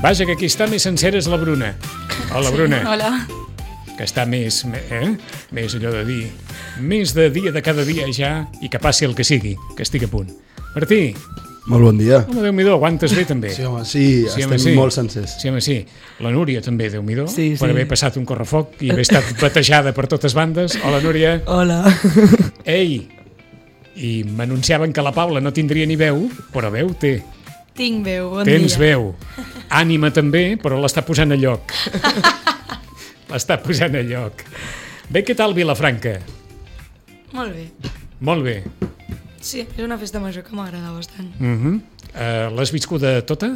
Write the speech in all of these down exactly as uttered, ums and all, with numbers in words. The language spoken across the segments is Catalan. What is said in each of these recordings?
Vaja, que aquí està més sencera és la Bruna. Hola, Bruna. Sí, hola. Que està més, eh? més allò de dir, més de dia de cada dia ja, i que passi el que sigui, que estigui a punt. Martí. Molt bon dia. Home, Déu-m'hi-do, aguantes bé també. Sí, home, sí, sí estem home, sí. molt sencers. Sí, home, sí. La Núria també, Déu-m'hi-do, sí, sí. per haver passat un correfoc i haver estat batejada per totes bandes. Hola, Núria. Hola. Ei, i m'anunciaven que la Paula no tindria ni veu, però veu té. Tinc veu, bon Tens dia. veu. Ànima també, però l'està posant a lloc. L'està posant a lloc. Bé, què tal Vilafranca? Molt bé. Molt bé. Sí, és una festa major que m'agrada bastant. Uh -huh. uh, L'has viscuda tota?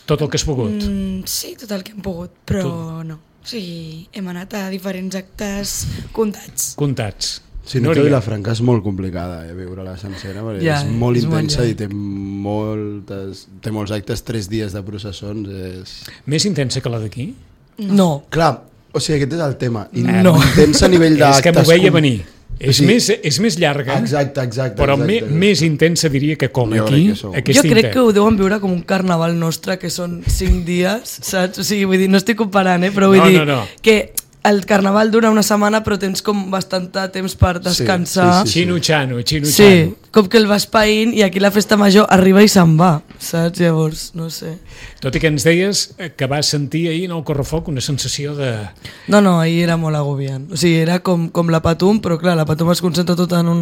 Tot el que has pogut? Mm, sí, tot el que hem pogut, però tu... no. O sigui, hem anat a diferents actes comptats. Comptats. Sí, no, que Vilafranca és molt complicada, eh, viure-la sencera, perquè ja, és molt és intensa molt i té, moltes, té molts actes, tres dies de processons. És... Més intensa que la d'aquí? No. no. Clar, o sigui, aquest és el tema. No. Intensa a nivell d'actes... És que m'ho veia venir. És, sí. més, és més llarga, exacte, exacte, però exacte, me, exacte. més intensa diria que com jo aquí. Que jo crec que ho deuen viure com un carnaval nostre, que són cinc dies, saps? O sigui, vull dir, no estic comparant, eh? Però vull no, dir no, no. que el carnaval dura una setmana però tens com bastant temps per descansar. Sí, sí, sí, sí. Xino-xano, xino-xano. Sí, com que el vas païnt i aquí la festa major arriba i se'n va, saps? Llavors, no sé. Tot i que ens deies que vas sentir ahir en el correfoc una sensació de... No, no, ahir era molt agobiant. O sigui, era com, com la Patum, però clar, la Patum es concentra tot en un...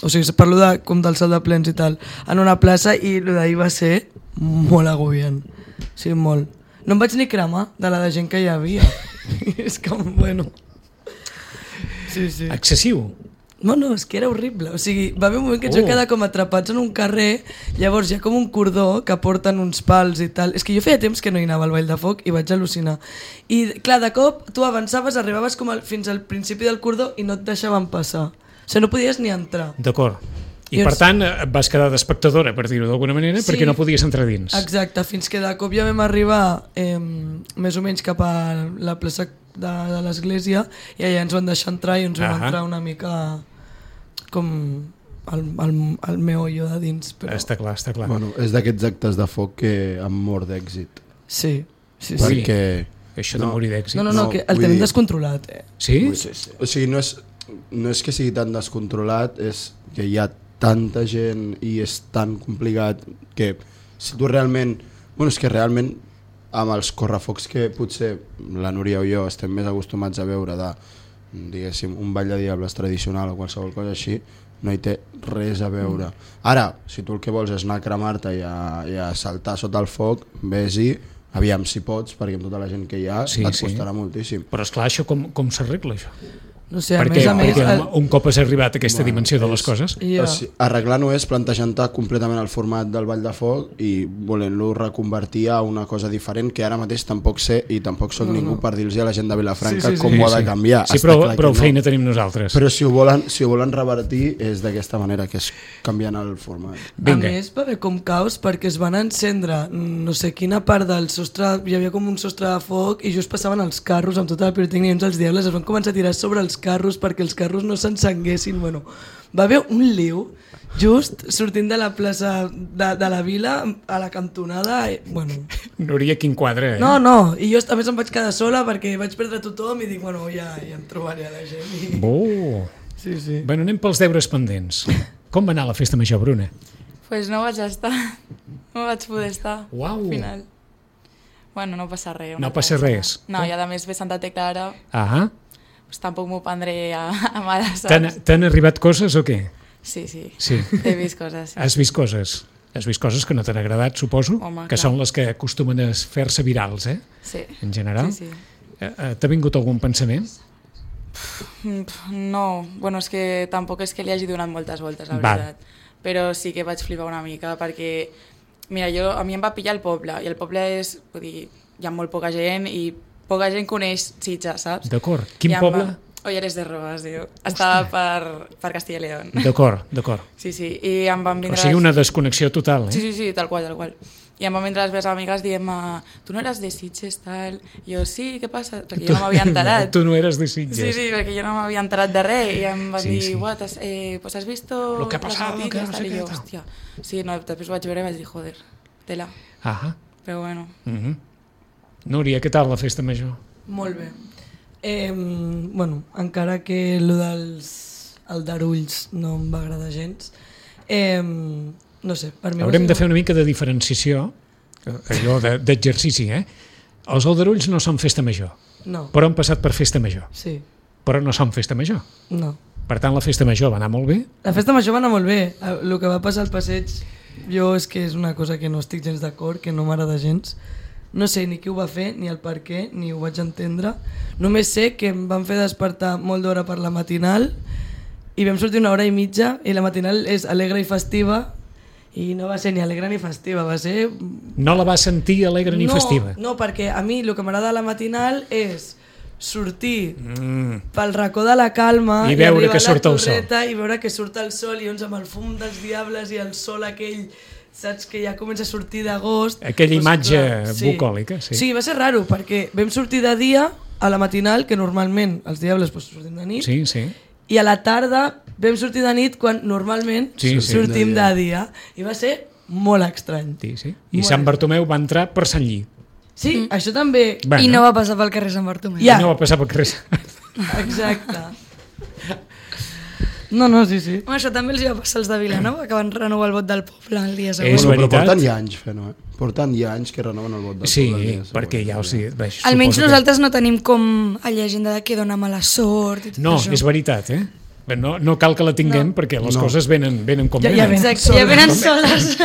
O sigui, parlo de, com del salt de plens i tal, en una plaça, i el d'ahir va ser molt agobiant. Sí, molt. No em vaig ni cremar de la de gent que hi havia. És com, bueno... Sí, sí. Excessiu. No, no, és que era horrible. O sigui, va haver un moment que ens oh. vam quedar com atrapats en un carrer, llavors hi ha com un cordó que porten uns pals i tal. És que jo feia temps que no hi anava al Ball de Foc i vaig al·lucinar. I clar, de cop tu avançaves, arribaves com al, fins al principi del cordó i no et deixaven passar. O sigui, no podies ni entrar. D'acord. I per tant et vas quedar d'espectadora, per dir-ho d'alguna manera, sí, perquè no podies entrar dins. Exacte, fins que de cop ja vam arribar eh, més o menys cap a la plaça de, de l'església i allà ens van deixar entrar i ens vam ah entrar una mica com el, el, el meollo de dins. Però... Està clar, està clar. Bueno, és d'aquests actes de foc que han mort d'èxit. Sí, sí, sí. Perquè... Això de no. morir d'èxit. No, no, no, no, que el tenim dir... descontrolat. Eh? Sí? sí, sí. O sigui, no és, no és que sigui tan descontrolat, és que hi ha tanta gent i és tan complicat que si tu realment... Bueno, és que realment amb els correfocs que potser la Núria o jo estem més acostumats a veure de, diguéssim, un ball de diables tradicional o qualsevol cosa així, no hi té res a veure. Ara, si tu el que vols és anar a cremar-te i a, i a saltar sota el foc, vés-hi, aviam si pots, perquè amb tota la gent que hi ha sí, et costarà sí. moltíssim. Però esclar, això com, com s'arregla això? No sé, a perquè, més a més... Perquè el... un cop has arribat a aquesta bueno, dimensió de les és, coses... Yeah. O sigui, arreglar no és plantejant-te completament el format del Ball de Foc i volent-lo reconvertir a una cosa diferent que ara mateix tampoc sé i tampoc soc no, ningú no. per dir-los a la gent de Vilafranca sí, sí, sí. com sí, ho ha de canviar. Sí, però, però no. feina tenim nosaltres. Però si ho volen, si ho volen revertir és d'aquesta manera, que és canviant el format. Vinga. A més va haver com caos perquè es van encendre no sé quina part del sostre, hi havia com un sostre de foc i just passaven els carros amb tota la pirotècnia i uns els diables es van començar a tirar sobre els carros perquè els carros no s'encenguessin. Bueno, va haver un liu just sortint de la plaça de, de la vila a la cantonada. I, bueno. Núria, quin quadre, eh? No, no, i jo a més em vaig quedar sola perquè vaig perdre tothom i dic, bueno, ja, ja em trobaré a la gent. I... Oh. Sí, sí. Bueno, anem pels deures pendents. Com va anar la festa major, Bruna? Pues no vaig estar, no vaig poder estar Uau. al final. Bueno, no passa res. No passa res. No, i a més ve Santa Tecla ara. Ahà. Pues tampoc m'ho prendré a, a mare, saps? T'han arribat coses o què? Sí, sí, sí. He vist coses. Sí. Has vist coses? Has vist coses que no t'han agradat, suposo? Home, que clar. Són les que acostumen a fer-se virals, eh? Sí. En general. Sí, sí. Eh, T'ha vingut algun pensament? No, bueno, és que tampoc és que li hagi donat moltes voltes, la Val. veritat. Però sí que vaig flipar una mica, perquè, mira, jo, a mi em va pillar el poble, i el poble és, vull dir, hi ha molt poca gent, i poca gent coneix Sitges, saps? D'acord. Quin poble? Va... Olleres de Rodes, diu. Estava per, per Castilla y León. D'acord, d'acord. Sí, sí, i em van vindre... O sigui, una desconnexió total, eh? Sí, sí, sí, tal qual, tal qual. I em van vindre les meves amigues dient tu no eres de Sitges, tal... I jo, sí, què passa? Perquè jo no m'havia enterat. Tu no eres de Sitges. Sí, sí, perquè jo no m'havia enterat de res. I em van sí, dir, sí. what, has, eh, pues has visto lo que ha pasado, las noticias, que no sé tal? I què, jo, hòstia. Sí, no, després ho vaig veure i vaig dir, joder, tela. Ahà. però bueno. Mm-hmm. Núria, què tal la festa major? Molt bé. Eh, bueno, encara que el dels aldarulls no em va agradar gens, eh, no sé, per mi... Haurem de fer una mica de diferenciació, allò de, d'exercici, eh? Els aldarulls no són festa major, No, però han passat per festa major, sí, però no són festa major. no. Per tant, la festa major va anar molt bé. La festa major va anar molt bé. El que va passar al passeig, jo és que és una cosa que no estic gens d'acord, que no m'agrada gens. No sé ni qui ho va fer, ni el per què, ni ho vaig entendre. Només sé que em van fer despertar molt d'hora per la matinal i vam sortir una hora i mitja i la matinal és alegre i festiva i no va ser ni alegre ni festiva, va ser... No la va sentir alegre ni no, festiva. No, perquè a mi el que m'agrada de la matinal és sortir Mm. pel racó de la calma I veure arribar que a la surt el sol. torreta i veure que surt el sol i llavors amb el fum dels diables i el sol aquell, saps, que ja comença a sortir d'agost. Aquella Doncs, imatge clar, bucòlica, sí. Sí, va ser raro perquè vam sortir de dia a la matinal, que normalment els diables pues, sortim de nit, Sí, sí. i a la tarda vam sortir de nit quan normalment Sí, sí. sortim De de dia. dia. I va ser molt estrany. sí, sí. I Molt Sant bé. Bartomeu va entrar per Sant Lli. Sí, mm. això també... Bueno, I no va passar pel carrer Sant Bartomeu. Ja. no va passar pel carrer. Exacte. No, no, sí, sí. Home, això també els hi va passar als de Vilanova, que van renovar el vot del poble el dia És següent. Bueno, però veritat. porten ja anys fent-ho, eh? Porten ja anys que renoven el vot del Sí, poble. el dia perquè següent. ja ho sé. Bé, Almenys suposo que- nosaltres no tenim com a llegenda de que dona mala sort i tot No, això. és veritat, eh? No, no cal que la tinguem No. perquè les No. coses venen, venen com Ja- ja venen. ven. Exacte, ja venen soles.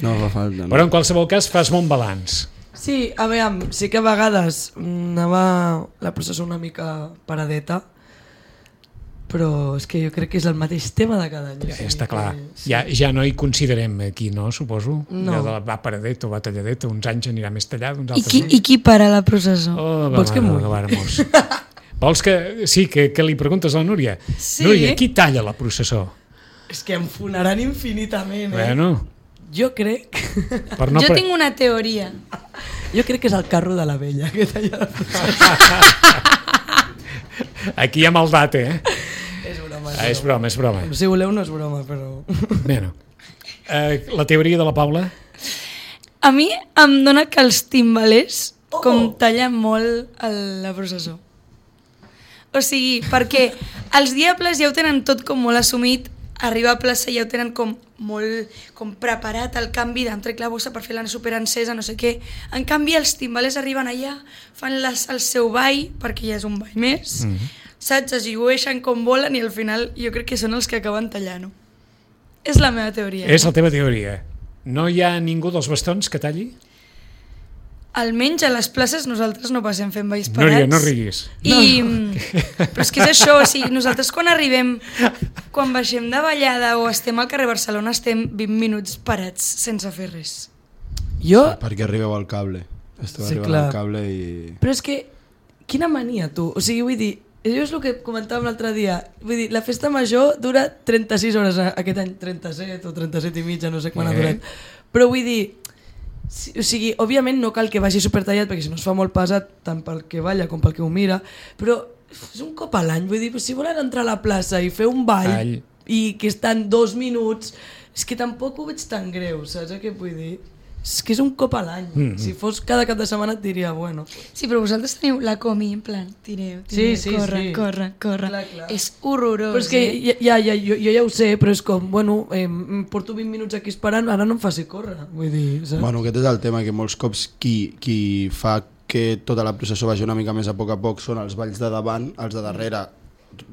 No fa falta. No. Però en qualsevol cas fas bon balanç. Sí, a veure, sí que a vegades anava la processó una mica paradeta, però és que jo crec que és el mateix tema de cada any. Ja, o sigui està clar. que sí. Ja, ja no hi considerem aquí, no? Suposo. No. Ja de la va paradeta o va talladeta. Uns anys anirà més tallada, uns I altres qui, no. I qui para la processó? Oh, va, Vols que va, mulli? va, va, hermós. Vols que... Sí, que, que li preguntes a la Núria. Sí. Núria, qui talla la processó? És que em fonaran infinitament, eh? Bueno, Jo crec... per no... Jo pre- tinc una teoria. jo crec que és el carro de la vella que talla la processó. Aquí hi ha maldat, eh? És broma, Ah, és broma, és broma. Si voleu no és broma, però... Bueno, eh, la teoria de la Paula? A mi em dona que els timbalers Oh! com tallen molt el, la processó. O sigui, perquè els diables ja ho tenen tot com molt assumit, arribar a plaça ja ho tenen com molt com preparat el canvi d'entrar la bossa per fer la superencesa, no sé què. En canvi, els timbalers arriben allà, fan les, el seu ball, perquè ja és un ball més, mm -hmm. saps? Es llueixen com volen i al final jo crec que són els que acaben tallant-ho. És la meva teoria. És la teva teoria. No hi ha ningú dels bastons que talli? Almenys a les places nosaltres no passem fent balls parats. Núria, no riguis. I, però és que és això, o sigui, nosaltres quan arribem, quan baixem de ballada o estem al carrer Barcelona, estem vint minuts parats sense fer res. Jo... Perquè arribeu al cable. Esteu Sí, arribant clar. al cable i... Però és que, quina mania, tu? O sigui, vull dir, allò és el que comentàvem l'altre dia. Vull dir, la festa major dura trenta-sis hores, aquest any trenta-set o trenta-set i mitja, no sé quan Eh. ha durat. Però vull dir, si, o sigui, òbviament no cal que vagi supertallat, perquè si no es fa molt pesat, tant pel que balla com pel que ho mira, però és un cop a l'any, vull dir, si volen entrar a la plaça i fer un ball, Ball. i que estan dos minuts, és que tampoc ho veig tan greu, saps què vull dir? És que és un cop a l'any. Mm-hmm. Si fos cada cap de setmana et diria, bueno... Sí, però vosaltres teniu la comi, en plan, tireu, Sí, tireu, sí, corre, sí. corre, corre. Clar, clar. És horrorós. Però és que eh? ja, ja, jo, jo ja ho sé, però és com, bueno, eh, em porto vint minuts aquí esperant, ara no em faci córrer, vull dir, saps? Bueno, aquest és el tema, que molts cops qui, qui fa que tota la processó vagi una mica més a poc a poc són els balls de davant, els de darrere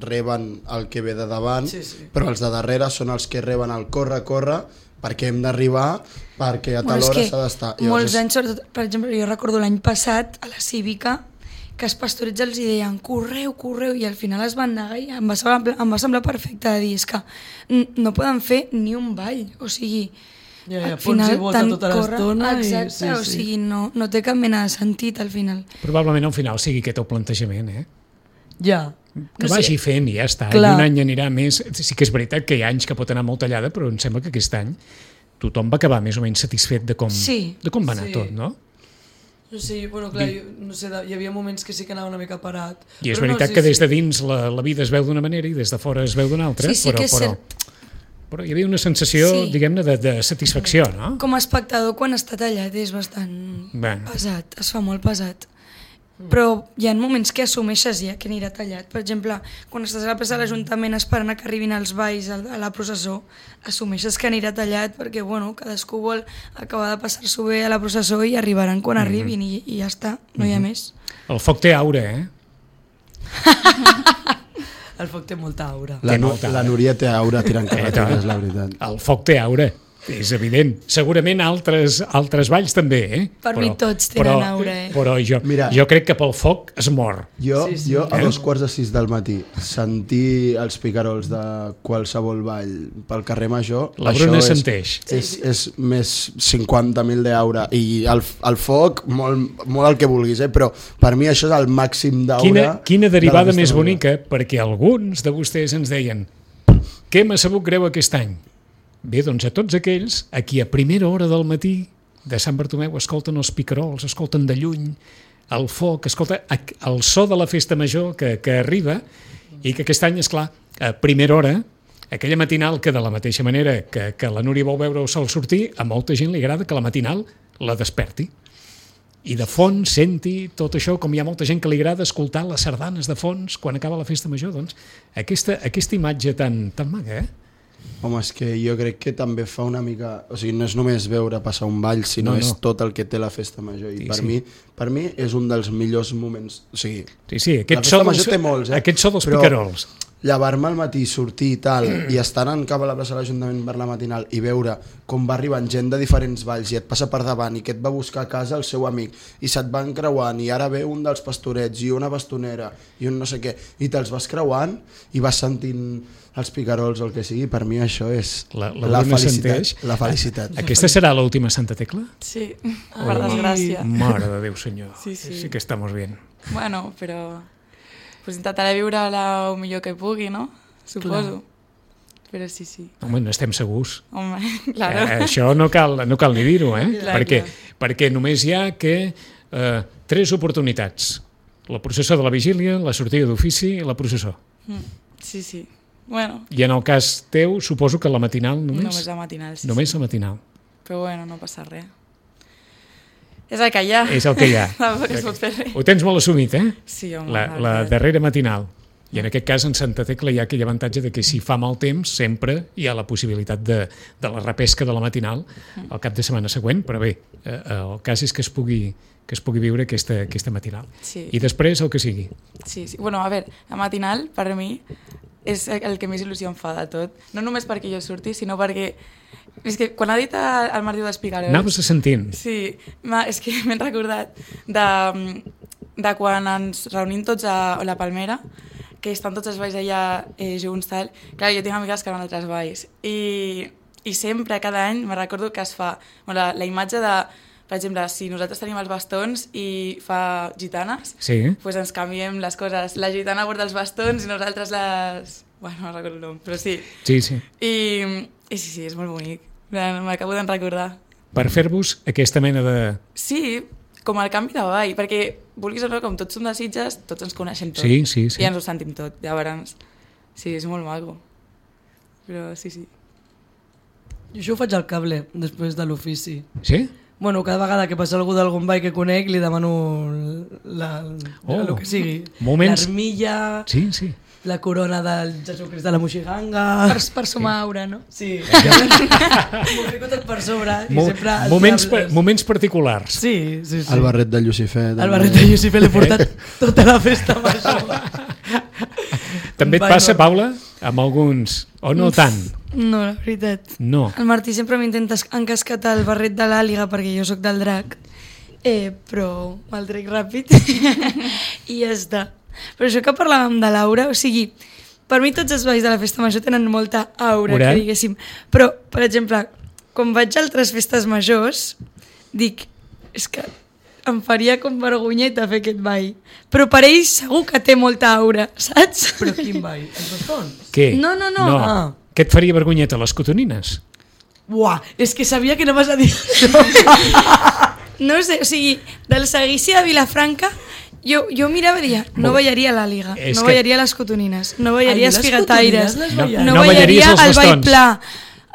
reben el que ve de davant, Sí, sí. però els de darrere són els que reben el corre, corre, perquè hem d'arribar, perquè a tal Bueno, és hora que s'ha d'estar. molts anys, sobretot, per exemple, jo recordo l'any passat a la Cívica que els pastorets els hi deien correu, correu, i al final es van negar i em va semblar, em va semblar perfecte de dir, és que n- no poden fer ni un ball, o sigui, Ja, ja, al pots final i vota tant tota corre, l'estona i- exacte, sí, o sí. sigui, no, no té cap mena de sentit al final. Probablement al final sigui aquest el plantejament, eh? Ja. Que No sé. vagi fent i ja està. Clar. I un any anirà més. Sí que és veritat que hi ha anys que pot anar molt tallada, però em sembla que aquest any tothom va acabar més o menys satisfet de com, Sí. de com va anar Sí. tot, no? No sé, bueno, clar, jo, no sé, hi havia moments que sí que anava una mica parat. I és Però veritat no, sí, que des sí. de dins la, la vida es veu d'una manera i des de fora es veu d'una altra, Sí, sí però, que és però cert. però hi havia una sensació, Sí. diguem-ne, de, de satisfacció, no? Com a espectador, quan està tallat, és bastant Bueno. pesat, es fa molt pesat. Però hi ha moments que assumeixes ja que anirà tallat. Per exemple, quan estàs a la plaça de l'Ajuntament esperant a que arribin els balls a a la processó, assumeixes que anirà tallat perquè, bueno, cadascú vol acabar de passar-s'ho bé a la processó i arribaran quan arribin i, i ja està, no hi ha més. El foc té aura, eh? El foc té molta aura. La, Té nu molta la aura. Núria té aura tirant Eh, carreteres, tant. la veritat. El foc té aura, és evident. Segurament altres, altres balls també, eh? Per mi tots tenen aura, eh? Però jo, Mira. jo crec que pel foc es mor. Jo, Sí, sí. jo a Eh? dos quarts de sis del matí sentir els picarols de qualsevol ball pel carrer Major, La això Bruna és, senteix. és, és més cinquanta mil d'aura i el, el foc molt, molt el que vulguis, eh? Però per mi això és el màxim d'aura. Quina, quina de la derivada festa més major. bonica, perquè alguns de vostès ens deien què m'ha sabut greu aquest any? Bé, doncs a tots aquells a qui a primera hora del matí de Sant Bartomeu escolten els picarols, escolten de lluny el foc, escolta el so de la festa major que, que arriba i que aquest any, és clar, a primera hora, aquella matinal que de la mateixa manera que, que la Núria vol veure el sol sortir, a molta gent li agrada que la matinal la desperti. I de fons senti tot això, com hi ha molta gent que li agrada escoltar les sardanes de fons quan acaba la festa major, doncs aquesta, aquesta imatge tan, tan maca, eh? Home, és que jo crec que també fa una mica... O sigui, no és només veure passar un ball, sinó No, no, no. és tot el que té la festa major. I Sí, per, sí. mi, per mi és un dels millors moments... O sigui, Sí, sí, la aquest festa so, major dels, té molts, eh? aquest so dels Però picarols. llevar-me al matí, sortir i tal, i estar anant cap a la plaça de l'Ajuntament per la matinal i veure com va arribant gent de diferents valls i et passa per davant i que et va buscar a casa el seu amic i se't van creuant i ara ve un dels pastorets i una bastonera i un no sé què i te'ls vas creuant i vas sentint els picarols o el que sigui, per mi això és La- la la, Bruna felicitat, senteix. la felicitat. Aquesta serà l'última Santa Tecla? Sí, per desgràcia. Mare de Déu, senyor. Sí, sí. Sí que estamos bien. Bueno, però pues intentaré viure-la el millor que pugui, no? Suposo. Però sí, sí. Home, no estem segurs. Home, claro. Eh, això no cal, no cal ni dir-ho, eh? Clar, perquè, clar. perquè només hi ha que eh, tres oportunitats. La processó de la vigília, la sortida d'ofici i la processó. Mm, sí, sí. Bueno, I en el cas teu, suposo que la matinal només? només la matinal, sí. Només sí. la matinal. Però bueno, no passa res. És el que hi ha. És el que hi ha. Tampoc es pot fer res. Ho tens molt assumit, eh? Sí, home. La, la veritat. darrera matinal. I en aquest cas, en Santa Tecla, hi ha aquell avantatge de que si fa mal temps, sempre hi ha la possibilitat de, de la repesca de la matinal al cap de setmana següent, però bé, eh, el cas és que es pugui, que es pugui viure aquesta, aquesta matinal. Sí. I després el que sigui. Sí, sí. Bueno, a veure, la matinal, per mi, és el que més il·lusió em fa de tot. No només perquè jo surti, sinó perquè... És que quan ha dit el, el Martí dels Picarols... Anaves sentint. Sí, és que m'he recordat de, de quan ens reunim tots a la Palmera, que estan tots els balls allà eh, junts, tal. Clar, jo tinc amigues que van a altres balls. I, i sempre, cada any, me recordo que es fa bueno, la, la imatge de, per exemple, si nosaltres tenim els bastons i fa gitanes, Sí. pues ens canviem les coses. La gitana porta els bastons i nosaltres les... Bueno, no recordo el nom, però sí. Sí, sí. I, i sí, sí, és molt bonic. M'acabo de recordar. Per fer-vos aquesta mena de... Sí, com el canvi de ball, perquè, vulguis o no, com tots som de Sitges, tots ens coneixem tot. Sí, sí, sí. I ens ho sentim tot, llavors. Sí, és molt maco. Però sí, sí. Jo això ho faig al cable, després de l'ofici. Sí? Bueno, cada vegada que passa algú d'algun ball que conec li demano la, Oh, el que sigui. moments- L'armilla, Sí, sí. la corona del Jesucrist de la Moixiganga... Per, per sumar aura, no? Sí, m'ho fico tot per sobre i Mo sempre... els moments, pa diables. moments particulars. Sí, sí, sí. El barret de Lucifer. El barret de Lucifer l'he portat tota la festa major. També et Ball passa, normal. Paula, amb alguns... O no tant? No, la veritat. No. El Martí sempre m'intenta encasquetar el barret de l'àliga perquè jo sóc del drac, eh, però me'l trec ràpid i ja està. Però això que parlàvem de l'aura, o sigui, per mi tots els balls de la festa major tenen molta aura, Aura. que diguéssim. Però, per exemple, quan vaig a altres festes majors, dic, és que em faria com vergonyeta fer aquest ball. Però per ell segur que té molta aura, saps? Però quin ball? Els bastons? Què? No, no, no. no. Ah. Què et faria vergonyeta, les cotonines? Buah, és que sabia que no vas a dir això. No sé, o sigui, del seguici de Vilafranca, Jo, jo mirava i dia, no ballaria a l'àliga, És no que- ballaria a les cotonineres, no ballaria Ai, als les figataires, cotonines les no, ballaries. no No ballaries ballaria als al ball bastons. pla.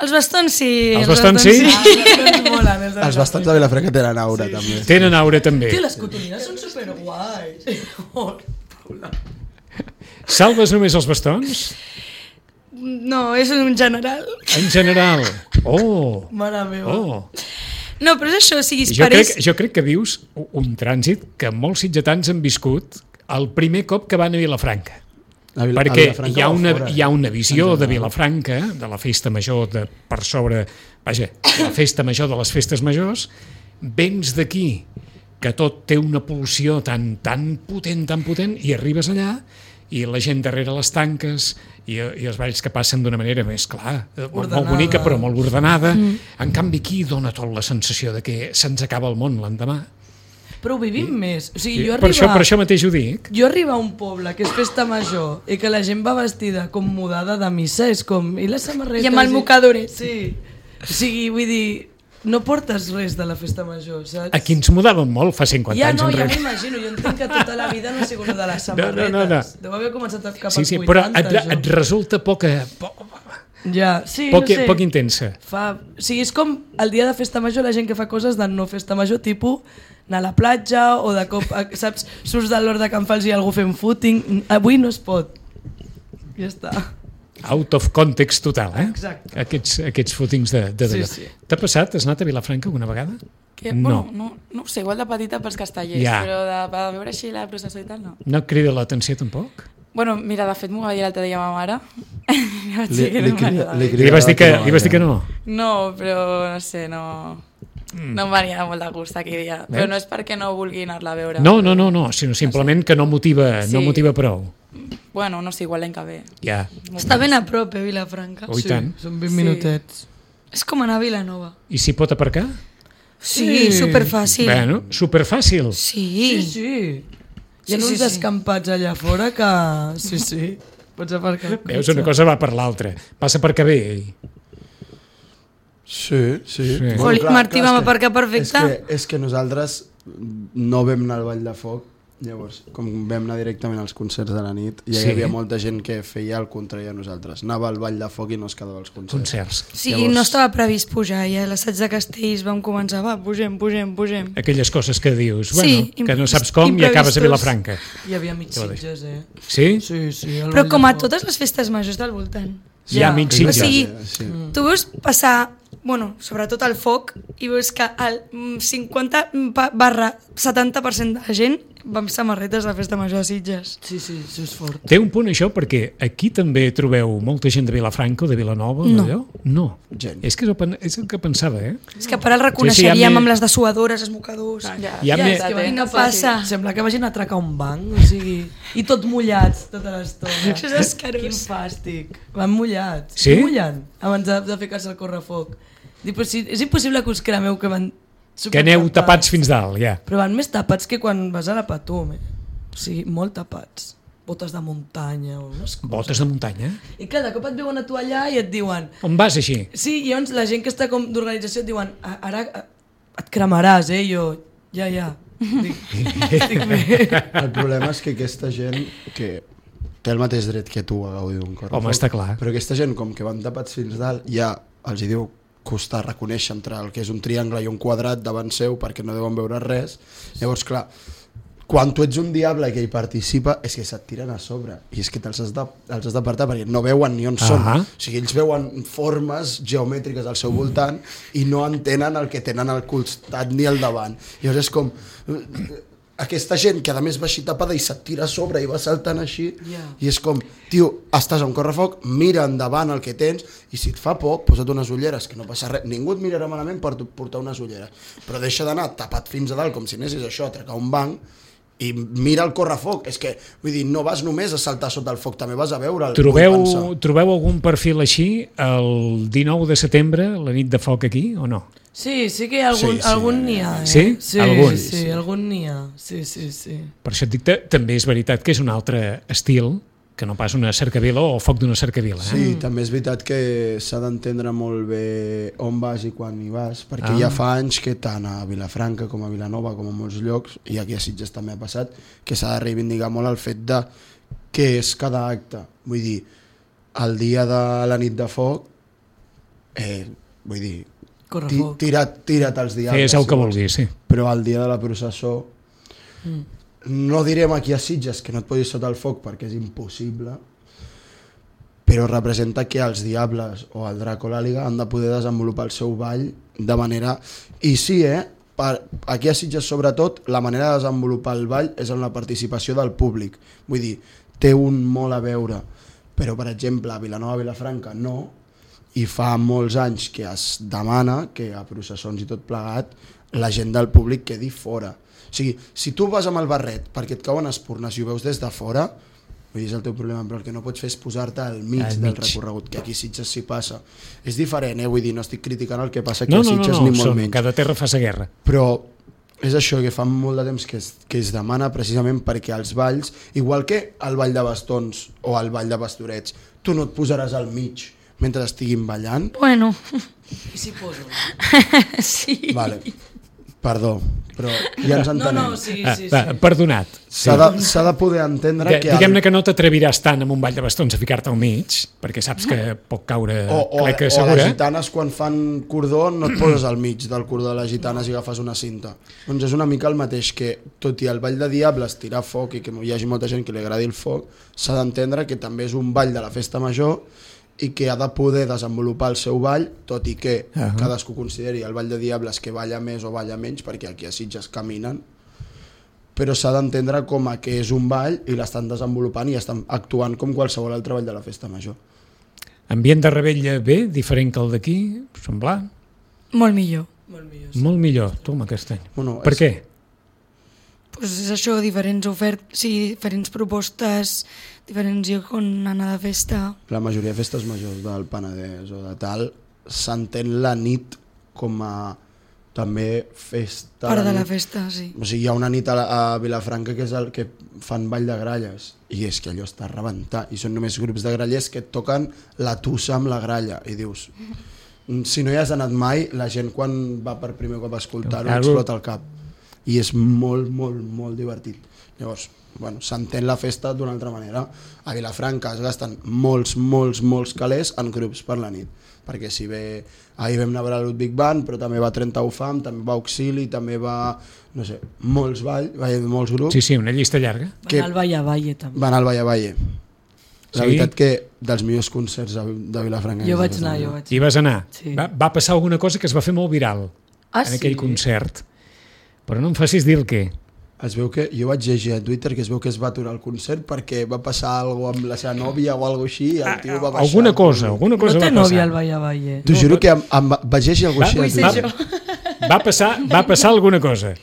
Els bastons sí. Els bastons sí? Els molen, els de Els bastants de Vilafranca tenen aura, també. Tenen aure també. Tio, les cotonines són superguais. Oh, Paula. Salves només els bastons? No, és un general. En general. Oh, Mare meva. oh. No, però és això, o sigui, Jo pareix... crec, jo crec que vius un trànsit que molts sitgetans han viscut el primer cop que van a Vilafranca. A Vila- a Perquè Vilafranca hi ha, o una, fora, hi ha una en visió de general. Vilafranca, de la festa major de, per sobre, vaja, la festa major de les festes majors, vens d'aquí, que tot té una pulsió tan, tan potent, tan potent, i arribes allà i la gent darrere les tanques i, i els balls que passen d'una manera més, clar, molt, molt bonica però molt ordenada. Mm. En canvi aquí dona tot la sensació de que se'ns acaba el món l'endemà. Però ho vivim més. O sigui, I jo per, això, arribar, per això mateix ho dic. jo arribar a un poble que és festa major i que la gent va vestida com mudada de missa, és com... I les samarretes... I amb el mocadores. Sí. O sigui, vull dir, no portes res de la festa major, saps? Aquí ens mudàvem molt fa cinquanta Ja anys no, ja enrere. m'imagino, jo entenc que tota la vida no ha sigut de les No, no, samarretes. no, no. Deu haver començat cap Sí, als sí, però vuitanta, et, això. et resulta poca, poc, Ja, sí, poc, no sé. poc intensa. Fa... O sigui, és com el dia de festa major la gent que fa coses de no festa major, tipus anar a la platja o de cop, saps, surts de l'hora de Can Fals i algú fent footing. Avui no es pot. Ja està. Out of context total, eh? Exacte. Aquests, aquests footings de, de Sí, d'allò. sí. T'ha passat? Has anat a Vilafranca alguna vegada? Que, No. bueno, no, no ho sé, igual de petita pels castellers, Ja. però de, de veure així la processó i tal, no. No et crida l'atenció tampoc? Bueno, mira, de fet m'ho va dir l'altre dia ma mare. I vaig Li, dir que li, no crida, m'agradava. li, Li crida vas dir la que, teva li vas dir que mare. no? No, però no sé, no... No em venia molt de gust aquell dia. Però Veus? no és perquè no vulgui anar-la a veure. No, no, no, no, sinó simplement que no motiva, no Sí. motiva prou. Bueno, no sé, igual l'any que ve. Ja, Està ben a prop, eh, Vilafranca. oh, i tant. Són vint Sí. minutets. És com anar a Vilanova. I s'hi pot aparcar? Sí, Sí. superfàcil. Bueno, superfàcil. Sí. Sí, sí. Hi ha Sí, uns sí, sí. descampats allà fora que... Sí, sí. Pots aparcar el Veus, cotxe. una cosa va per l'altra. Passa per que bé. ell. Sí, sí. Sí. Joli, Martí, és vam que- aparcar perfecte. És que, és que nosaltres no vam anar al Ball de Foc, llavors, com vam anar directament als concerts de la nit, ja Sí. hi havia molta gent que feia el contrari a nosaltres. Anava al Ball de Foc i no es quedava als concerts. Concerts. Sí, Llavors- no estava previst pujar, i a l'assaig de Castells vam començar, va, pugem, pugem, pugem. Aquelles coses que dius, Sí, bueno, que no imprevis- saps com i acabes a imprevistos. Vilafranca. Hi havia mig sitges, eh? Sí? Sí, sí. el Però Vall com de a Foc. totes les festes majors del voltant. Hi ha Ja. amics O sitges. sigui, Sí. Tu veus passar, bueno, sobretot el foc, i veus que el mm, cinquanta barra setanta per cent de la gent va amb samarretes de festa major de Sitges. Sí, sí, això és fort. Té un punt això, perquè aquí també trobeu molta gent de Vilafranca o de Vilanova, No. d'allò? No. Gent. És que és el, pen- és el que pensava, eh? És que per el Sí, sí, reconeixeríem hi ha amb més- les dessuadores, els mocadors. Ja, Hi ha ja, més- ja, que té. no passa. Sembla que vagin a atracar un banc, o sigui... I tot mullats tota l'estona. Això és escarós. Quin fàstic. Van mullats. Sí? Mullen abans de, de ficar-se al correfoc. Dic, però si, és impossible que us cremeu que van... Que aneu supertapats. tapats fins dalt, ja. Però van més tapats que quan vas a la Patum, eh? O sigui, molt tapats. Botes de muntanya o unes coses. Botes de muntanya. I clar, de cop et veuen a tu allà i et diuen... On vas així? Sí, i llavors la gent que està com d'organització et diuen "A- ara eh, et cremaràs, eh? I jo, ja, ja. Dic, estic bé. El problema és que aquesta gent que té el mateix dret que tu a gaudir d'un correfoc. Home, està clar. Però aquesta gent, com que van tapats fins dalt, ja els hi diu costar reconèixer entre el que és un triangle i un quadrat davant seu perquè no deuen veure res. Llavors, clar, quan tu ets un diable que hi participa, és que se't tiren a sobre. I és que te'ls has de- els has d'apartar perquè no veuen ni on són. Ahà. O sigui, ells veuen formes geomètriques al seu voltant i no entenen el que tenen al costat ni al davant. Llavors és com... Aquesta gent que a més va així tapada i se't tira a sobre i va saltant així, Ja. i és com, tio, estàs a un correfoc, mira endavant el que tens i si et fa poc, posa't unes ulleres, que no passa res, ningú et mirarà malament per portar unes ulleres, però deixa d'anar tapat fins a dalt com si anessis això a atracar un banc i mira el correfoc. És que, vull dir, no vas només a saltar sota el foc, també vas a veure'l. Trobeu, vull pensar. trobeu algun perfil així el dinou de setembre, la nit de foc aquí, o no? Sí, sí que hi ha algun, Sí, sí. algun n'hi ha, eh? Sí? Sí, Algun? sí, sí, algun n'hi ha. Sí, sí, sí. Per això et dic que també és veritat que és un altre estil que no pas una cercavila o el foc d'una cercavila. Eh? Sí, també és veritat que s'ha d'entendre molt bé on vas i quan hi vas, perquè Ah. ja fa anys que tant a Vilafranca com a Vilanova, com a molts llocs, i aquí a Sitges també ha passat, que s'ha de reivindicar molt el fet de què és cada acte. Vull dir, el dia de la nit de foc, eh, vull dir, Corre ti, foc. tira't, tira't els diables. Fes el si que vols. vulguis, sí. Però el dia de la processó, Mm. no direm aquí a Sitges que no et posis sota el foc perquè és impossible, però representa que els diables o el drac o l'àliga han de poder desenvolupar el seu ball de manera... I sí, eh? Per... Aquí a Sitges, sobretot, la manera de desenvolupar el ball és amb la participació del públic. Vull dir, té un molt a veure, però, per exemple, a Vilanova, Vilafranca, no, i fa molts anys que es demana que a processons i tot plegat la gent del públic quedi fora. O sigui, si tu vas amb el barret perquè et cauen espurnes i ho veus des de fora, vull dir, és el teu problema, però el que no pots fer és posar-te al mig, Al del mig. recorregut, que aquí a Sitges s'hi passa. És diferent, eh? Vull dir, no estic criticant el que passa aquí No, a no, no, Sitges no, ni molt són, menys. cada terra fa sa guerra. Però és això que fa molt de temps que es, que es demana precisament perquè els balls, igual que el ball de bastons o el ball de pastorets, tu no et posaràs al mig mentre estiguin ballant. Bueno, I s'hi poso. sí. Vale. Perdó, però ja ens No, entenem. no, sí, Ah, sí, va, sí. Perdonat. Sí. S'ha de, s'ha de poder entendre Que, que... diguem-ne que no t'atreviràs tant amb un ball de bastons a ficar-te al mig, perquè saps que pot caure O, o, cleca o les segura. gitanes quan fan cordó no et poses al mig del cordó de les gitanes i agafes una cinta. Doncs és una mica el mateix que, tot i el ball de diables, tirar foc i que hi hagi molta gent que li agradi el foc, s'ha d'entendre que també és un ball de la festa major i que ha de poder desenvolupar el seu ball, tot i que uh -huh. cadascú consideri el ball de diables que balla més o balla menys, perquè aquí a Sitges caminen, però s'ha d'entendre com a que és un ball i l'estan desenvolupant i estan actuant com qualsevol altre ball de la festa major. Ambient de Rebella bé, diferent que el d'aquí, semblant. Molt millor. Molt millor. Sí. Molt millor, toma aquest any. Bueno, Per és- què? Pues és això, diferents ofertes, sí, diferents propostes, diferents llocs on anar de festa. La majoria de festes majors del Penedès o de tal s'entén la nit com a també festa. Part de la nit. festa, sí. O sigui, hi ha una nit a, la, a Vilafranca que és el que fan ball de gralles i és que allò està a rebentar i són només grups de grallers que et toquen la tussa amb la gralla i dius, si no hi has anat mai, la gent quan va per primer cop a escoltar-ho Claro. explota el cap i és molt, molt, molt divertit. Llavors, bueno, s'entén la festa d'una altra manera. A Vilafranca es gasten molts, molts, molts calés en grups per la nit, perquè si ve, ahir vam anar a veure el Ludwig Band, però també va trenta U F A M, també va Auxili, també va, no sé, molts ball, molts grups Sí, sí, una llista llarga. Van que- al Valle a Valle, també. van al Valle a Valle. La Sí? veritat que dels millors concerts de, de Vilafranca. Jo és vaig aquesta anar, jo manera. vaig Hi vas anar. Sí. Va, va passar alguna cosa que es va fer molt viral Ah, en aquell sí? concert. Però no em facis dir el què. Es veu que, jo vaig llegir a Twitter que es veu que es va aturar el concert perquè va passar alguna cosa amb la seva nòvia o alguna cosa així i el tio va baixar. Ah, Alguna cosa, alguna cosa No té va passar. nòvia al Valle a Valle. T'ho juro que em, em, vaig llegir alguna Va, cosa així. a va, Twitter. va, passar, va passar alguna cosa.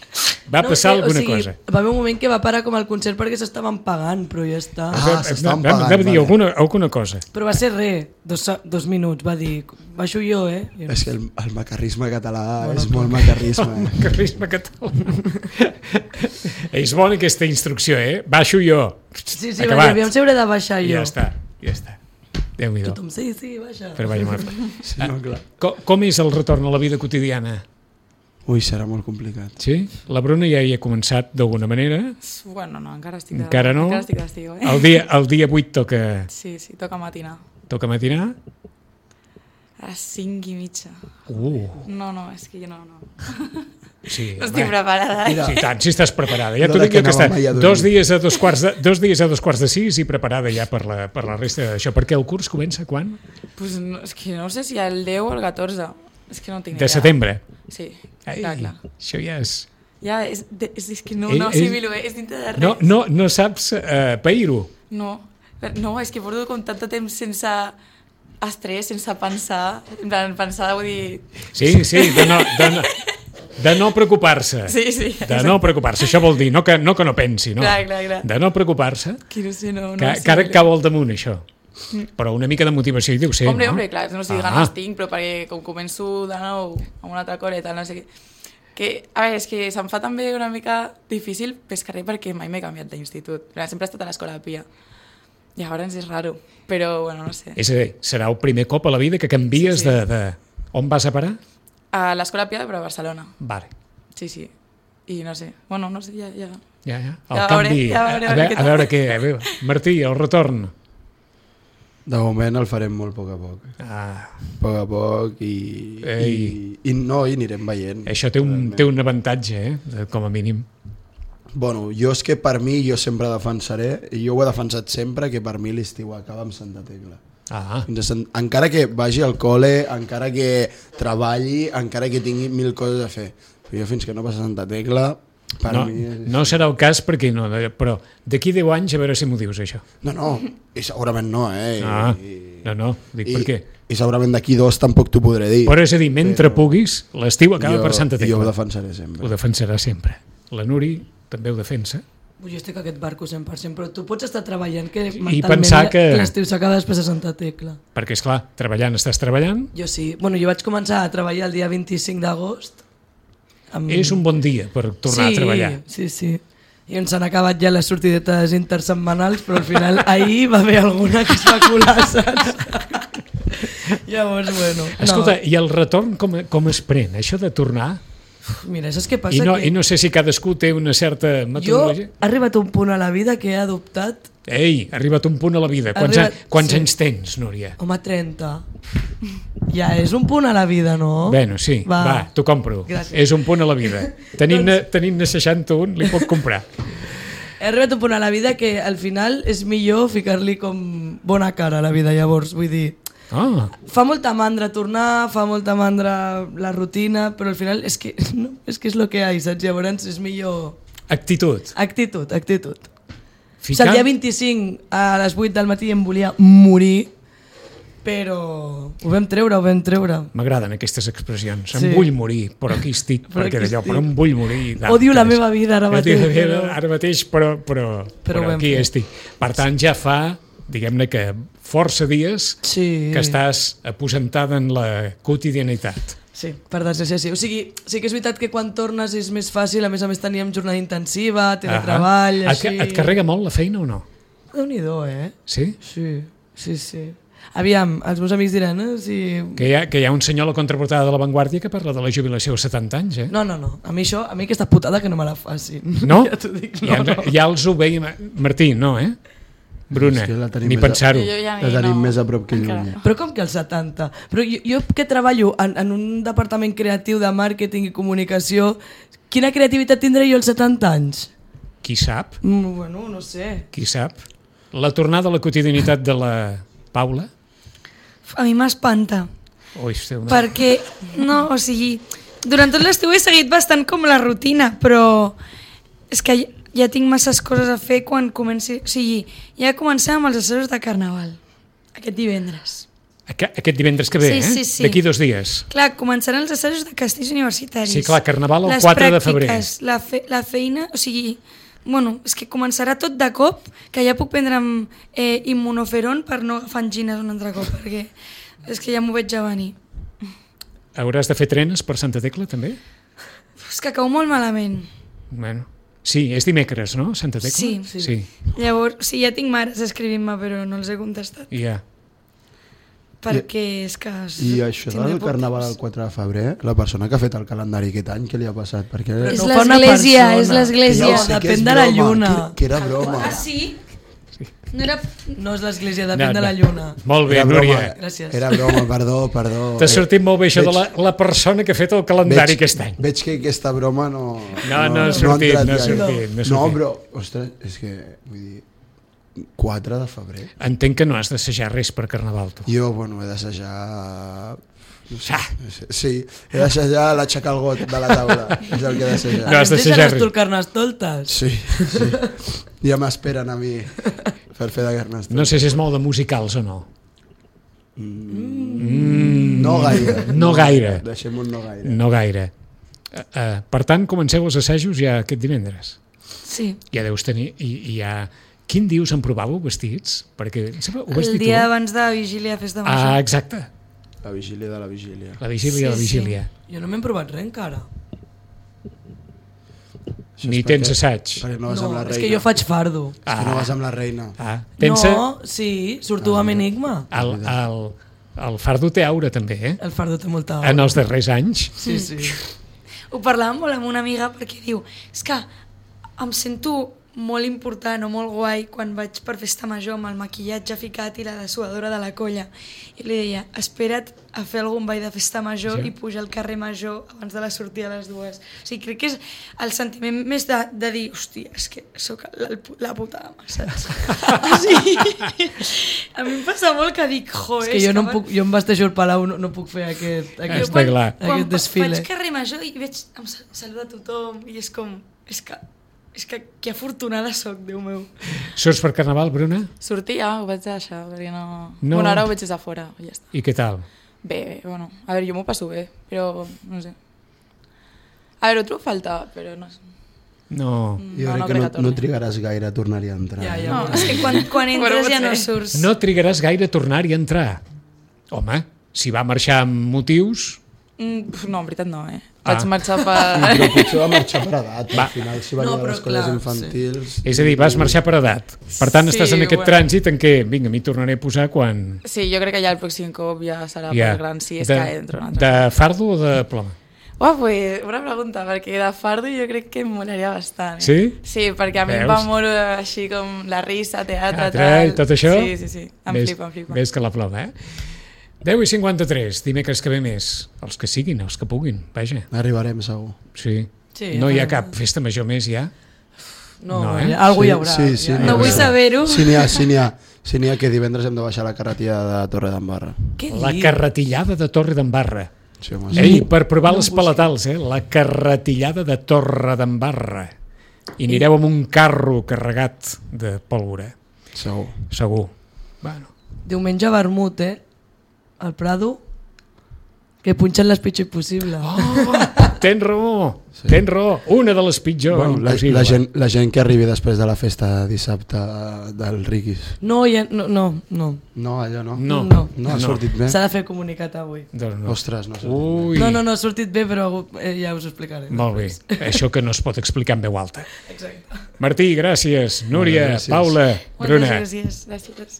Va passar sé, alguna o sigui, cosa. Va haver un moment que va parar com el concert perquè s'estaven pagant, però ja està. Ah, s'estaven Va- va- pagant, va dir vale. alguna, alguna cosa. Però va ser res, dos, dos minuts, va dir, baixo jo, eh? I És que el, el macarrisme català bueno, és molt macarrisme. Eh? Carrisme català. És bona aquesta instrucció, eh? Baixo jo. Sí, sí, va dir, Acabat. aviam si hauré de baixar I jo. ja està, ja està. Déu-n'hi-do. Tothom, sí, sí, baixa. Però vaja, Marta. Sí, no, clar. Com, com és el retorn a la vida quotidiana? Ui, serà molt complicat. Sí? La Bruna ja hi ha començat d'alguna manera. Bueno, no, encara estic de, Encara no? Encara estic d'estiu, eh? El dia, el dia vuit toca, Sí, sí, toca matinar. toca matinar. A les cinc i mitja. Uh, No, no, és que jo no, no. sí. No estic home. preparada. Mira. Sí, tant, si estàs preparada. Ja No t'ho de dic que jo que anàvem està mai a dormir. dos dies a dos quarts de, dos dies a dos quarts de sis i preparada ja per la, per la resta d'això. Perquè el curs comença quan? Pues no, és que no sé si el deu o el catorze. És que no tinc De idea. setembre. Sí, Ai, clar, clar. això ja és... Ja, és, de, és, és que no, Eh, no eh, assimilo, eh? És dintre de res. No, no, no saps uh, pair-ho. No, no, és que porto com tant de temps sense estrès, sense pensar, en plan, pensar, vull dir... Sí, sí, de no, de no, de no preocupar-se. Sí, sí. De no preocupar-se. Això vol dir no que no, que no pensi, no? Clar, clar, clar. De no preocupar-se. Que no sé, no... no Que, sé, que ara però- cau al damunt, això. Però una mica de motivació hi deu ser, Hombre, no? hombre, clar, no estic Ah. ganes tinc, però perquè com començo de nou amb una altra cosa i tal, no sé què... Que, a veure, és que se'm fa també una mica difícil pescar res perquè mai m'he canviat d'institut. Però sempre he estat a l'escola de Pia. Llavors és raro, però bueno, no sé. És a dir, serà el primer cop a la vida que canvies Sí, sí. de, de... On vas a parar? A l'Escola Piada, però a Barcelona. Vale. Sí, sí. I no sé, bueno, no sé, ja... ja... Ja, ja. El Ja canvi... veuré, ja veuré, a, a veure, veure què a veure què... A veure. Martí, el retorn. De moment el farem molt a poc a poc. Ah, A poc a poc i, Ei. i, i no, i anirem veient. això té un, realment. té un avantatge, eh? de- Com a mínim. Bueno, jo és que per mi, jo sempre defensaré, i jo ho he defensat sempre, que per mi l'estiu acaba amb Santa Tecla. Ah, Fins a Sant... Encara que vagi al col·le, encara que treballi, encara que tingui mil coses a fer. Però jo fins que no passa Santa Tecla, per no, mi... És... no serà el cas perquè no, però d'aquí deu anys a veure si m'ho dius, això. No, no, i segurament no, eh? Ah, I, no, no, dic i, per què. I segurament d'aquí dos tampoc t'ho podré dir. Però és a dir, mentre Però- puguis, l'estiu acaba jo, per Santa Jo ho Tecla. defensaré sempre. Ho defensarà sempre. La Nuri també ho defensa. Jo estic a aquest barco cent per cent, però tu pots estar treballant que I mentalment pensar que- l'estiu s'acaba després de Santa Tecla. Perquè, és clar, treballant estàs treballant, Jo sí. Bueno, jo vaig començar a treballar el dia vint-i-cinc d'agost. Amb... és un bon dia per tornar sí, a treballar. Sí, sí. I ens han acabat ja les sortidetes intersetmanals, però al final ahir va haver alguna que es va colar, saps? Llavors, bueno... Escolta, no. i el retorn com, com es pren? Això de tornar? Mira, saps què passa? I no, que I no sé si cadascú té una certa jo metodologia. he arribat a un punt a la vida que he adoptat, Ei, ha arribat un punt a la vida. Quants, Arribat- a, quants sí. anys tens, Núria? home, trenta. Ja és un punt a la vida, no? Bueno, sí, va, Va. va t'ho compro. Gràcies. És un punt a la vida. Tenint-ne tenint seixanta-un, li puc comprar. He arribat a un punt a la vida que al final és millor ficar-li com bona cara a la vida, llavors, vull dir... Ah, Fa molta mandra tornar, fa molta mandra la rutina, però al final és que, no, és que és el que hi ha, saps? Llavors és millor... actitud. Actitud, actitud. O sigui, Ficar... el dia vint-i-cinc a les vuit del matí em volia morir, però ho vam treure, ho vam treure. M'agraden aquestes expressions. Sí. Em vull morir, però aquí estic. Però perquè aquí d'allò, estic. però em vull morir. Odio la D'altres. meva vida ara Jo mateix, dic, però- Ara mateix, però, però, Però però, ho hem aquí fet. estic. Per tant, ja fa, diguem-ne que força dies Sí. que estàs aposentada en la quotidianitat. Sí, per desgràcia sí. O sigui, sí que és veritat que quan tornes és més fàcil, a més a més teníem jornada intensiva, teletreball, Ahà. així... Et, et carrega molt la feina o no? Déu-n'hi-do, eh? Sí? Sí, sí, sí. Aviam, els meus amics diran, eh? Si... Que hi, ha, que hi ha un senyor a la contraportada de La Vanguardia que parla de la jubilació als setanta anys, eh? No, no, no. A mi això, a mi aquesta putada que no me la facin. No? Ja t'ho dic, Ja, no, no. ja els ho veiem... Martí, no, eh? Bruna, És que la tenim ni més a- pensar-ho. Jo ja La ni- tenim no, més a prop que encara. lluny. Però com que als setanta? Però jo, jo que treballo en, en un departament creatiu de màrqueting i comunicació, quina creativitat tindré jo als setanta anys? Qui sap? Mm, bueno, no sé. Qui sap? La tornada a la quotidianitat de la Paula? A mi m'espanta. Ui, esteu una... Perquè, no, o sigui, durant tot l'estiu he seguit bastant com la rutina, però és que ja, ja tinc masses coses a fer quan comenci... O sigui, ja comencem amb els assajos de Carnaval, aquest divendres. Aqu- Aquest divendres que ve, Sí, eh? sí, sí. D'aquí dos dies. Clar, començaran els assajos de castells universitaris. Sí, clar, Carnaval el Les quatre de febrer. pràctiques, La, fe, la feina, o sigui, bueno, és que començarà tot de cop, que ja puc prendre'm eh, immunoferon per no agafar angines un altre cop, perquè és que ja m'ho veig ja venir. Hauràs de fer trenes per Santa Tecla, també? És que cau molt malament. Bueno. Sí, és dimecres, no? Santa Tecla? Sí. Sí. sí. Llavors, sí, ja tinc mares escrivint-me, però no els he contestat. Ja. Perquè és que... I això Tindré del poc carnaval temps. el quatre de febrer, la persona que ha fet el calendari aquest any, què li ha passat? Perquè... És no ho fa una l'església, persona. és l'església. Que No, sé que depèn és de la broma, lluna. Que, que era broma. Ah, sí? No era... No és l'església, depèn No, de la no. lluna. Molt bé, Era broma, Núria. Gràcies. Era broma, perdó, perdó. T'ha sortit molt bé això de Veig- la, la persona que ha fet el calendari aquest any. Veig que aquesta broma no... No, no ha sortit, entrat no ha gaire. sortit, no ha No, sortit. però, ostres, és que, vull dir, quatre de febrer. Entenc que no has d'assajar res per Carnaval, tu. Jo, bueno, he d'assajar... No sé, sí, he d'assajar l'aixecar el got de la taula. És el que he d'assajar. No, has Ens d'assajar deixen res. estul carnestoltes? Sí, sí. Ja m'esperen a mi per fer de carnestoltes. No sé si és molt de musicals o no. Mm. No gaire. No gaire. Deixem un no gaire. No gaire. Uh, uh, per tant, comenceu els assajos ja aquest divendres. Sí. Ja deus tenir... I, i ja... Quin dius en provàveu vestits? Perquè em sembla, ho vas El dir dia tu? abans de Vigília, festa Ah, major. exacte. La vigília de la vigília. La vigília, Sí, la sí. vigília. Jo no m'he provat res encara. Això Ni és tens perquè- assaig. Perquè no vas No, amb la reina. és que jo faig fardo. És que no vas amb la reina. Ah, pensa, No, sí, surto amb Enigma. el, el, el fardo té aura també, eh? El fardo té molta En els darrers anys. Sí, sí. Ho parlàvem molt amb una amiga perquè diu, és que em sento molt important o molt guai quan vaig per festa major amb el maquillatge ficat i la dessuadora de la colla. I li deia, espera't a fer algun ball de festa major Sí. i pujar al carrer major abans de la sortida a les dues. O sigui, crec que és el sentiment més de, de dir, hòstia, és que sóc la, la puta ama, saps? O sigui, a mi em passa molt que dic, jo, És que jo, no em puc, jo em vesteixo al Palau, no, no puc fer aquest, aquest, Està clar. quan aquest desfile. faig carrer major i veig, em sal- saluda tothom i és com, és que, és que que afortunada sóc, Déu meu. Surts per Carnaval, Bruna? Sortir ja ho vaig deixar, perquè no... No. Bueno, ara ho veig des de fora, i ja està. I què tal? Bé, bé, bueno, a veure, jo m'ho passo bé, però no sé. A veure, ho trobo falta, però no sé. No. Jo no, no crec que crec no, que torni. no trigaràs gaire a tornar-hi a entrar. Ja, eh? ja. No, És que quan, quan entres Bueno, ja no potser. surts. No trigaràs gaire a tornar-hi a entrar. Home, si va marxar amb motius... Mm, pf, no, en veritat no, eh? Ah. Vaig marxar Sí, per... però potser va marxar per edat. Va. Al final, si venia No, no, a però les col·les clar, infantils... És a dir, vas marxar per edat. Per tant, Sí, estàs en aquest bueno. trànsit en què, vinga, m'hi tornaré a posar quan... Sí, jo crec que ja el pròxim cop ja serà Ja. per gran, si és de, que entro. un altre de cop. fardo o de ploma? Oh, pues, una pregunta, perquè de fardo jo crec que em molaria bastant. Eh? Sí? Sí, perquè a mi em Veus? va molt eh, així com la risa, teatre, Teatre i tal. tot això? Sí, sí, sí, em Ves- flipa, em flipa. Ves que la ploma, eh? deu i cinquanta-tres, dimecres que ve més. Els que siguin, els que puguin, vaja. Arribarem, segur. Sí. Sí, no hi ha ja. cap festa major més, ja? No, No, no eh? eh? Algú hi Sí, haurà. sí, sí, ja. n'hi No vull haurà. saber-ho. Sí, n'hi ha, sí, n'hi ha. Sí, n'hi ha que divendres hem de baixar la carretilla de Torre d'Embarra. Què La dius? carretillada de Torre d'Embarra. Sí, home, sí. Ei, per provar les palatals, eh? La carretillada de Torre d'Embarra. I anireu amb un carro carregat de pólvora, Segur. segur. Bueno. Diumenge vermut, eh? Al Prado, que punxen les pitjors possible. Oh, tens raó, sí. tens raó. Una de les pitjors Bueno, la, impossible. la, gent, la gent que arribi després de la festa dissabte del Riquis. No, ja, no, no, no. No, allò no. No. No. No ha sortit bé. S'ha de fer comunicat avui. Doncs no. Ostres, no sé. Ui, No, no, no, ha sortit bé, però eh, ja us ho explicaré. molt bé. Això que no es pot explicar en veu alta. Exacte. Martí, gràcies. Núria, Gràcies. Paula, Moltes Bruna. gràcies. Gràcies.